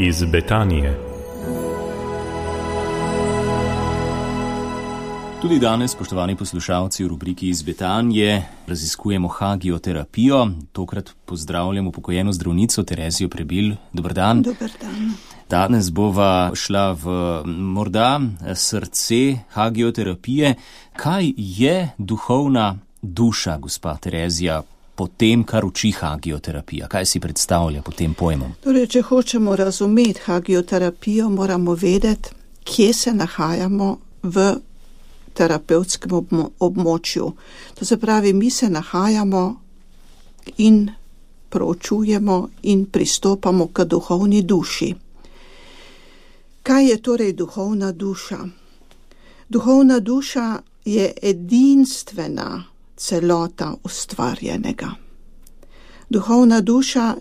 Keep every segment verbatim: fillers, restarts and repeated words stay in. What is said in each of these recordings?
Iz Betanije. Tudi danes, spoštovani poslušalci, v rubriki Iz Betanije raziskujemo hagioterapijo. Tokrat pozdravljam upokojeno zdravnico Terezijo Prebil. Dober dan. Dober dan. Danes bova šla v morda srce hagioterapije. Kaj je duhovna duša, gospa Terezija, po tem, kar uči hagioterapija? Kaj si predstavlja pod tem pojmom? Torej, če hočemo razumeti hagioterapijo, moramo vedeti, kje se nahajamo v terapevtskem območju. To se pravi, mi se nahajamo in proučujemo in pristopamo k duhovni duši. Kaj je torej duhovna duša? Duhovna duša je edinstvena celota ustvarjenega. Duhovna duša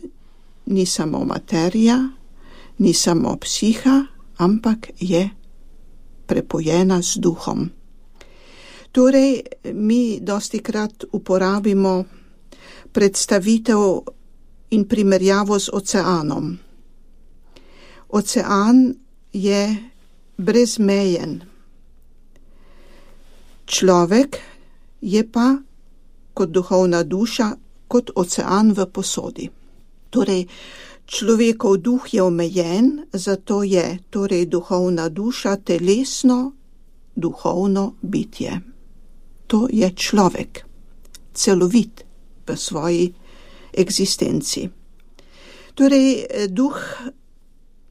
ni samo materija, ni samo psiha, ampak je prepojena z duhom. Torej, mi dostikrat uporabimo predstavitev in primerjavo z oceanom. Ocean je brezmejen. Človek je pa kot duhovna duša, kot ocean v posodi. Torej, človekov duh je omejen, zato je torej duhovna duša telesno, duhovno bitje. To je človek, celovit v svoji eksistenci. Torej, duh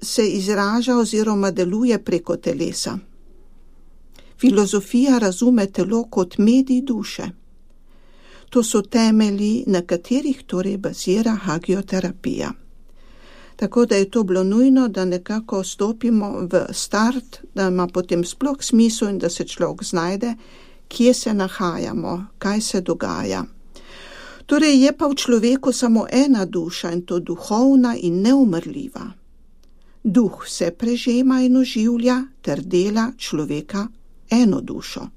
se izraža oziroma deluje preko telesa. Filozofija razume telo kot medij duše. To so temelji, na katerih torej bazira hagioterapija. Tako da je to bilo nujno, da nekako stopimo v start, da ima potem sploh smisel in da se človek znajde, kje se nahajamo, kaj se dogaja. Torej je pa v človeku samo ena duša in to duhovna in neumrljiva. Duh se prežema in oživlja ter dela človeka eno dušo.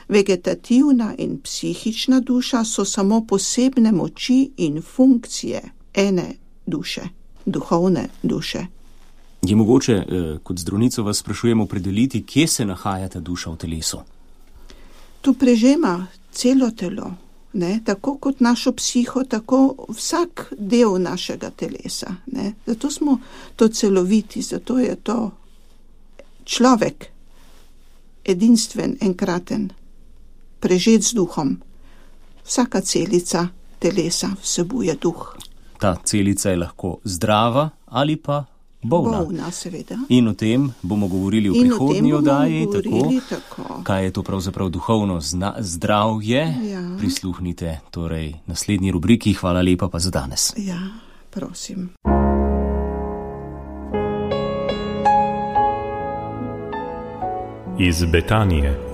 Vegetativna in psihična duša so samo posebne moči in funkcije ene duše, duhovne duše. Je mogoče, kot zdravnico vas sprašujemo, opredeliti, kje se nahaja ta duša v telesu? Tu prežema celo telo, ne? Tako kot našo psiho, tako vsak del našega telesa. Ne? Zato smo to celoviti, zato je to človek, edinstven, enkraten, prežet z duhom. Vsaka celica telesa vsebuje duh. Ta celica je lahko zdrava ali pa bolna. Bolna, seveda. In o tem bomo govorili v in prihodnji oddaji. Tako, tako. Kaj je to pravzaprav duhovno zna- zdravje? Ja. Prisluhnite torej naslednji rubriki. Hvala lepa pa za danes. Ja, prosim. Iz Betanije.